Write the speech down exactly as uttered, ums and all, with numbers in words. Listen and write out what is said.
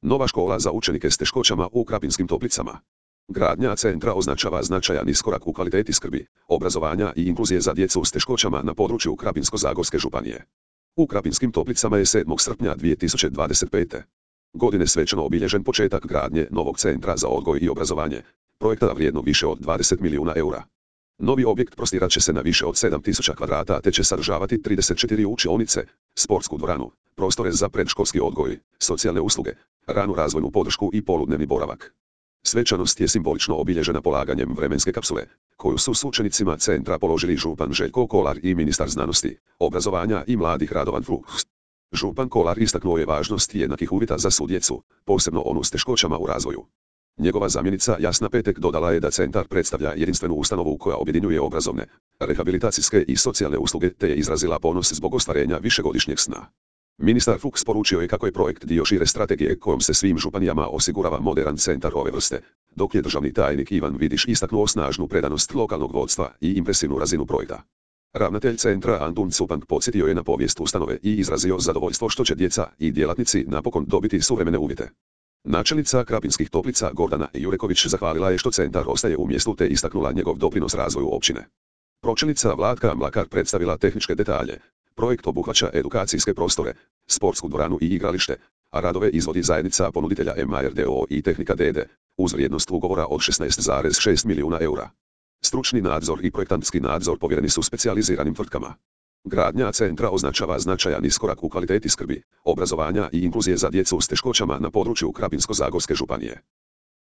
Nova škola za učenike s teškoćama u Krapinskim Toplicama. Gradnja centra označava značajan iskorak u kvaliteti skrbi, obrazovanja i inkluzije za djecu s teškoćama na području Krapinsko-zagorske županije. U Krapinskim Toplicama je sedmog srpnja dvije tisuće dvadeset pete. godine svečano obilježen početak gradnje novog centra za odgoj i obrazovanje, projekta vrijednog više od dvadeset milijuna eura. Novi objekt prostirat će se na više od sedam tisuća kvadrata te će sadržavati trideset četiri učionice, sportsku dvoranu, prostore za predškolski odgoj, socijalne usluge, ranu razvojnu podršku i poludnevni boravak. Svečanost je simbolično obilježena polaganjem vremenske kapsule, koju su s učenicima centra položili župan Željko Kolar i ministar znanosti, obrazovanja i mladih Radovan Fuchs. Župan Kolar istaknuo je važnost jednakih uvjeta za svu djecu, posebno onu s teškoćama u razvoju. Njegova zamjenica Jasna Petek dodala je da centar predstavlja jedinstvenu ustanovu koja objedinjuje obrazovne, rehabilitacijske i socijalne usluge te je izrazila ponos zbog ostvarenja višegodišnjeg sna. Ministar Fuchs poručio je kako je projekt dio šire strategije kojom se svim županijama osigurava moderan centar ove vrste, dok je državni tajnik Ivan Vidiš istaknuo snažnu predanost lokalnog vodstva i impresivnu razinu projekta. Ravnatelj centra Antun Cupank podsjetio je na povijest ustanove i izrazio zadovoljstvo što će djeca i djelatnici napokon dobiti suvremene uvjete. Načelnica Krapinskih Toplica Gordana Jureković zahvalila je što centar ostaje u mjestu te istaknula njegov doprinos razvoju općine. Pročelnica Vlatka Mlakar predstavila tehničke detalje. Projekt obuhvaća edukacijske prostore, sportsku dvoranu i igralište, a radove izvodi zajednica ponuditelja M A R D O i Tehnika D D, uz vrijednost ugovora od šesnaest zarez šest milijuna eura. Stručni nadzor i projektantski nadzor povjereni su specijaliziranim tvrtkama. Gradnja centra označava značajan iskorak u kvaliteti skrbi, obrazovanja i inkluzije za djecu s teškoćama na području Krapinsko-zagorske županije.